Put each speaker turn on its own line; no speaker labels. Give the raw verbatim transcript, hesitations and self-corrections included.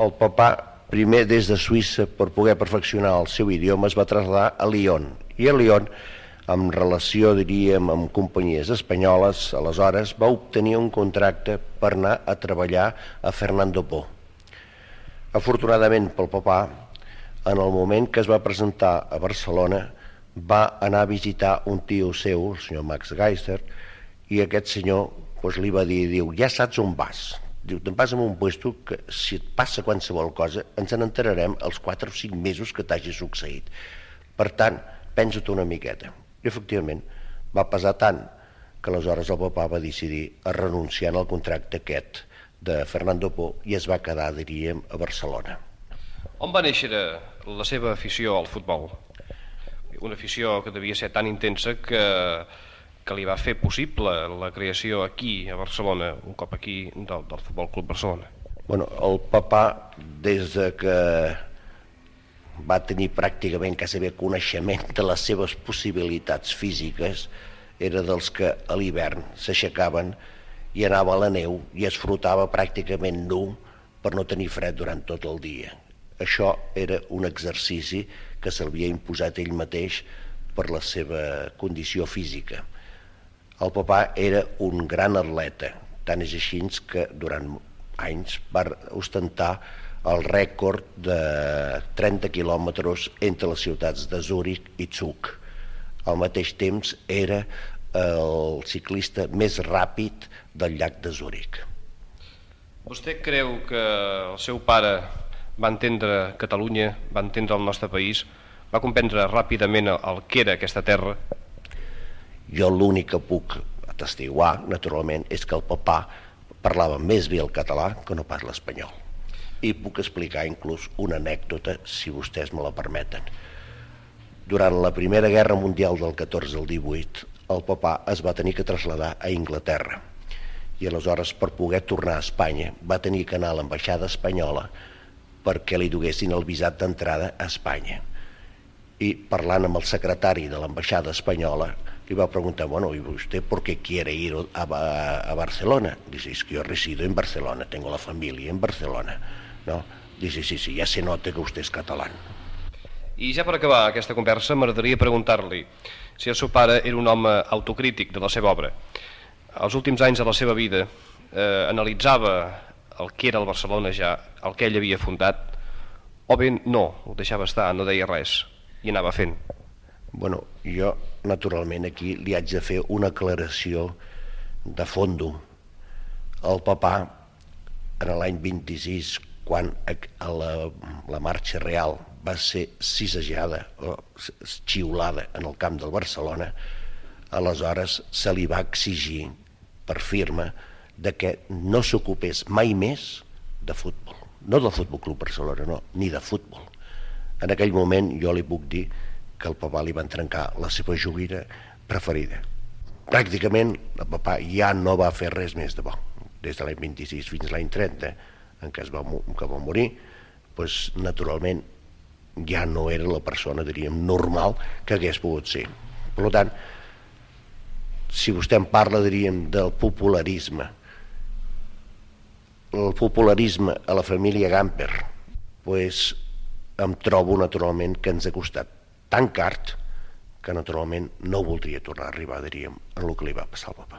el papà, primer des de Suïssa, per poder perfeccionar el seu idioma, es va traslladar a Lyon. I a Lyon, en relació, diríem, amb companyies espanyoles, aleshores va obtenir un contracte per anar a treballar a Fernando Poo. Afortunadament pel papà, en el moment que es va presentar a Barcelona, va anar a visitar un tio seu, el senyor Max Geister, i aquest senyor doncs, li va dir, diu, ja saps on vas. Diu, te'n vas a un puesto que si et passa qualsevol cosa ens n'enterarem els quatre o cinc mesos que t'hagi succeït. Per tant, pensa-t'ho una miqueta. I efectivament va pesar tant que aleshores el papà va decidir a renunciar al contracte aquest de Fernando Poo i es va quedar, diríem, a Barcelona.
On va néixer la seva afició al futbol? Una afició que devia ser tan intensa que, que li va fer possible la creació aquí, a Barcelona, un cop aquí, del, del Futbol Club Barcelona.
Bueno, el papà, des de que va tenir pràcticament quasi bé coneixement de les seves possibilitats físiques, era dels que a l'hivern s'aixecaven i anava a la neu i es frotava pràcticament nu per no tenir fred durant tot el dia. Això era un exercici que s'havia imposat ell mateix per la seva condició física. El papà era un gran atleta, tant és així que durant anys va ostentar el rècord de trenta quilòmetres entre les ciutats de Zúrich i Zug. Al mateix temps era el ciclista més ràpid del llac de Zúrich.
Vostè creu que el seu pare va entendre Catalunya, va entendre el nostre país, va comprendre ràpidament el que era aquesta terra?
Jo l'únic que puc atestiguar, naturalment, és que el papà parlava més bé el català que no pas l'espanyol. I puc explicar inclús una anècdota, si vostès me la permeten. Durant la Primera Guerra Mundial del catorze al divuit, el papà es va tenir que traslladar a Anglaterra. I aleshores, per poder tornar a Espanya, va tenir que anar a l'ambaixada espanyola perquè li duguessin el visat d'entrada a Espanya. I parlant amb el secretari de l'ambaixada espanyola, li va preguntar, bueno, ¿y usted por qué quiere ir a, a, a Barcelona? Dice, es que yo resido en Barcelona, tengo la familia en Barcelona. ¿No? Dice, sí, sí, ya se nota que usted es catalán.
I ja per acabar aquesta conversa m'agradaria preguntar-li si el seu pare era un home autocrític de la seva obra. Els últims anys de la seva vida eh, analitzava el que era el Barcelona ja, el que ell havia fundat, o bé no, ho deixava estar, no deia res i anava fent.
Bueno, jo naturalment aquí li haig de fer una aclaració de fondo. El papà, en l'any vint-i-sis, quan la, la marxa real va ser sisejada o xiulada en el camp del Barcelona, aleshores se li va exigir per firma de que no s'ocupés mai més de futbol. No del Futbol Club Barcelona, no, ni de futbol. En aquell moment jo li puc dir que el papà li van trencar la seva joguina preferida. Pràcticament el papà ja no va fer res més de bo. Des de l'any vint-i-sis fins a l'any trenta, en què es va, que va morir, doncs, naturalment ja no era la persona, diríem, normal que hagués pogut ser. Per tant, si vostè em parla, diríem, del popularisme, el popularisme a la família Gamper, doncs em trobo naturalment que ens ha costat tan car que naturalment no voldria tornar a arribar, diríem, en el que li va passar al papà.